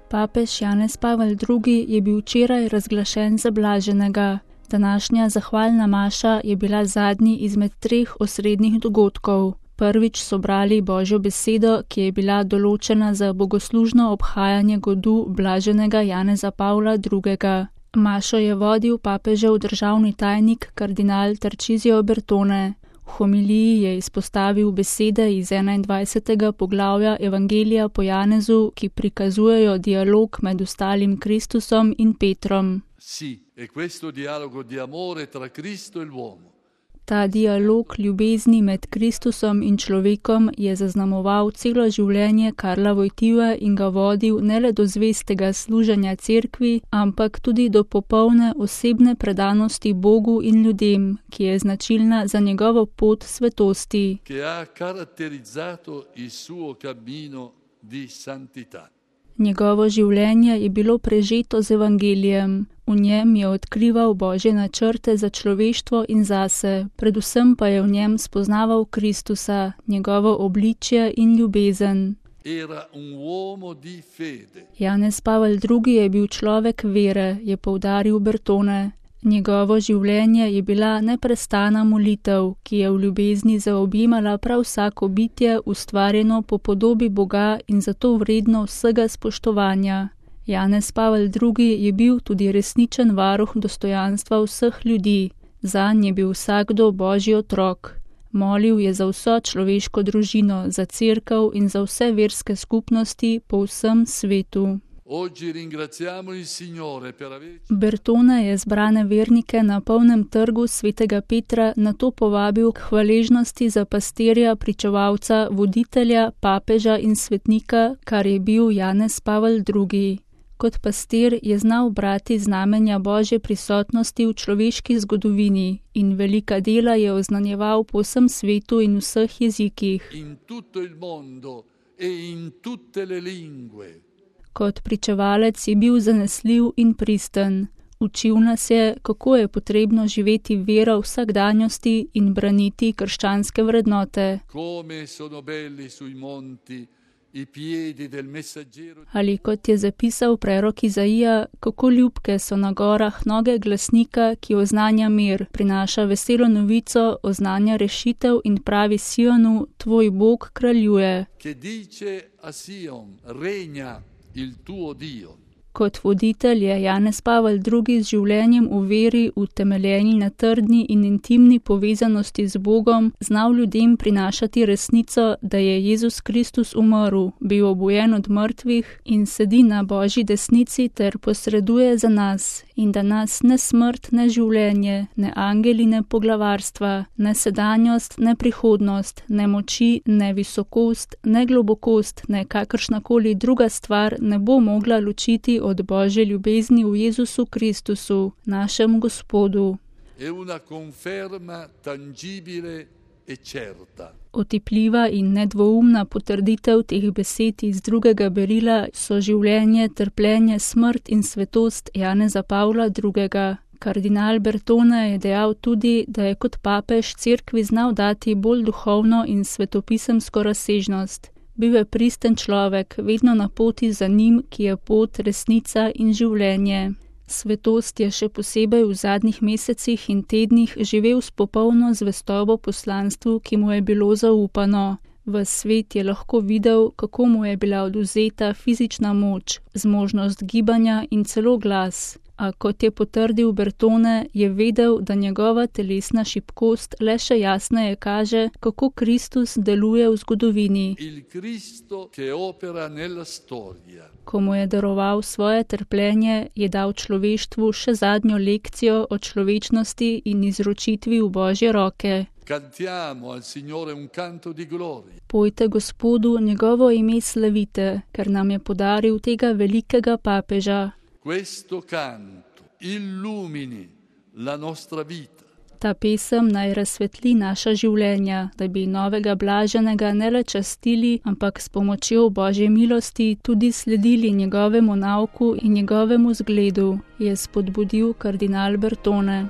Papež Janez Pavel II. Je bil včeraj razglašen za blaženega. Današnja zahvalna maša je bila zadnji izmed 3 osrednjih dogodkov. Prvič so brali Božjo besedo, ki je bila določena za bogoslužno obhajanje godu blaženega Janeza Pavla II. Mašo je vodil papežev državni tajnik kardinal Tarcisio Bertone. V homiliji je izpostavil besede iz 21. poglavja Evangelija po Janezu, ki prikazujejo dialog med ostalim Kristusom in Petrom. Sì, è questo dialogo di amore tra Cristo e l'uomo. Ta dialog ljubezni med Kristusom in človekom je zaznamoval celo življenje Karla Wojtyły in ga vodil ne le do zvestega služenja cerkvi, ampak tudi do popolne osebne predanosti Bogu in ljudem, ki je značilna za njegovo pot svetosti. Che ha caratterizzato il suo cammino di santità. Njegovo življenje je bilo prežeto z evangelijem. V njem je odkrival Božje načrte za človeštvo in zase, predvsem pa je v njem spoznaval Kristusa, njegovo obličje in ljubezen. Era un uomo di fede. Janez Pavel II. Je bil človek vere, je poudaril Bertone. Njegovo življenje je bila neprestana molitev, ki je v ljubezni zaobjemala prav vsako bitje, ustvarjeno po podobi Boga in zato vredno vsega spoštovanja. Janez Pavel II. Je bil tudi resničen varuh dostojanstva vseh ljudi. Zanj je bil vsakdo Božji otrok. Molil je za vso človeško družino, za cerkev in za vse verske skupnosti po vsem svetu. Bertone je zbrane vernike na polnem trgu svetega Petra nato povabil k hvaležnosti za pastirja, pričevalca, voditelja, papeža in svetnika, kar je bil Janez Pavel II. Kot pastir je znal brati znamenja Božje prisotnosti v človeški zgodovini in velika dela je oznanjeval po vsem svetu in vseh jezikih. Kot pričevalec je bil zanesljiv in pristen. Učil nas je, kako je potrebno živeti vero v vsakdanjosti in braniti krščanske vrednote. Ali kot je zapisal prerok Izaija, kako ljubke so na gorah noge glasnika, ki oznanja mir, prinaša veselo novico, oznanja rešitev in pravi Sionu, tvoj Bog kraljuje. Il tuo Dio. Kot voditelj je Janez Pavel II. Z življenjem v veri, utemeljeni na trdni in intimni povezanosti z Bogom, znal ljudem prinašati resnico, da je Jezus Kristus umrl, bil obojen od mrtvih in sedi na Božji desnici ter posreduje za nas, in da nas ne smrt, ne življenje, ne angeli, ne poglavarstva, ne sedanjost, ne prihodnost, ne moči, ne visokost, ne globokost, ne kakršnakoli druga stvar ne bo mogla ločiti od Božje ljubezni v Jezusu Kristusu, našem Gospodu. Otipljiva in nedvoumna potrditev teh besed iz drugega berila so življenje, trpljenje, smrt in svetost Janeza Pavla II. Kardinal Bertone je dejal tudi, da je kot papež cerkvi znal dati bolj duhovno in svetopisemsko razsežnost. Bil je pristen človek, vedno na poti za njim, ki je pot, resnica in življenje. Svetost je še posebej v zadnjih mesecih in tednih živel s popolno zvestobo poslanstvu, ki mu je bilo zaupano. Ves svet je lahko videl, kako mu je bila odvzeta fizična moč, zmožnost gibanja in celo glas. A kot je potrdil Bertone, je vedel, da njegova telesna šibkost le še jasneje kaže, kako Kristus deluje v zgodovini. Ko mu je daroval svoje trpljenje, je dal človeštvu še zadnjo lekcijo o človečnosti in izročitvi v Božje roke. Pojte Gospodu njegovo ime slavite, ker nam je podaril tega velikega papeža. Questo canto illumini la nostra vita. Ta pesem naj razsvetli naša življenja, da bi novega blaženega ne le častili, ampak s pomočjo Božje milosti tudi sledili njegovemu nauku in njegovemu zgledu, je spodbudil kardinal Bertone.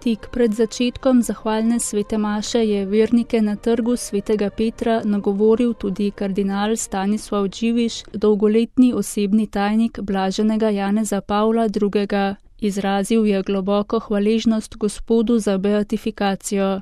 Tik pred začetkom zahvalne svete maše je vernike na trgu svetega Petra nagovoril tudi kardinal Stanislav Dživiš, dolgoletni osebni tajnik blaženega Janeza Pavla II. Izrazil je globoko hvaležnost Gospodu za beatifikacijo.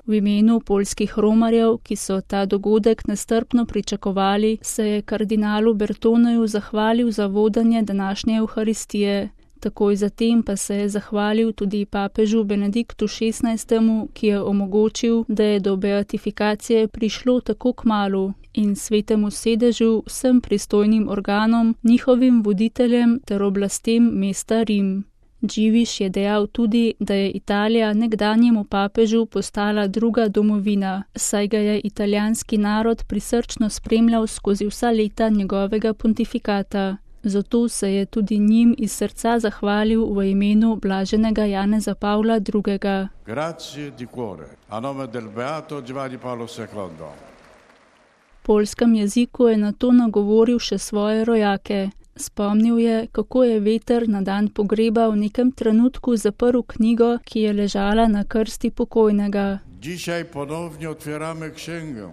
V imenu poljskih romarjev, ki so ta dogodek nestrpno pričakovali, se je kardinalu Bertoneju zahvalil za vodenje današnje Evharistije. Takoj zatem pa se je zahvalil tudi papežu Benediktu XVI., ki je omogočil, da je do beatifikacije prišlo tako kmalu, in svetemu sedežu, vsem pristojnim organom, njihovim voditeljem ter oblastem mesta Rim. Dživiš je dejal tudi, da je Italija nekdanjemu papežu postala druga domovina, saj ga je italijanski narod prisrčno spremljal skozi vsa leta njegovega pontifikata. Zato se je tudi njim iz srca zahvalil v imenu blaženega Janeza Pavla II. Grazie di cuore, a nome del beato Giovanni Paolo II. V poljskem jeziku je nato nagovoril še svoje rojake. Spomnil je, kako je veter na dan pogreba v nekem trenutku zaprl knjigo, ki je ležala na krsti pokojnega. Dzisiaj ponownie otwieramy księgę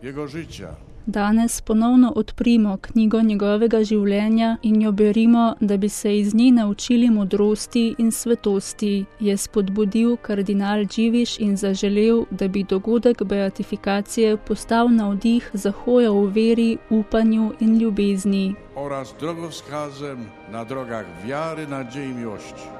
jego życia. Danes ponovno odprimo knjigo njegovega življenja in jo berimo, da bi se iz nje naučili modrosti in svetosti, je spodbudil kardinal Dživiš in zaželel, da bi dogodek beatifikacije postal navdih za hojo v veri, upanju in ljubezni. Oraz drogowskazem na drogach wiary, nadziei i miłości.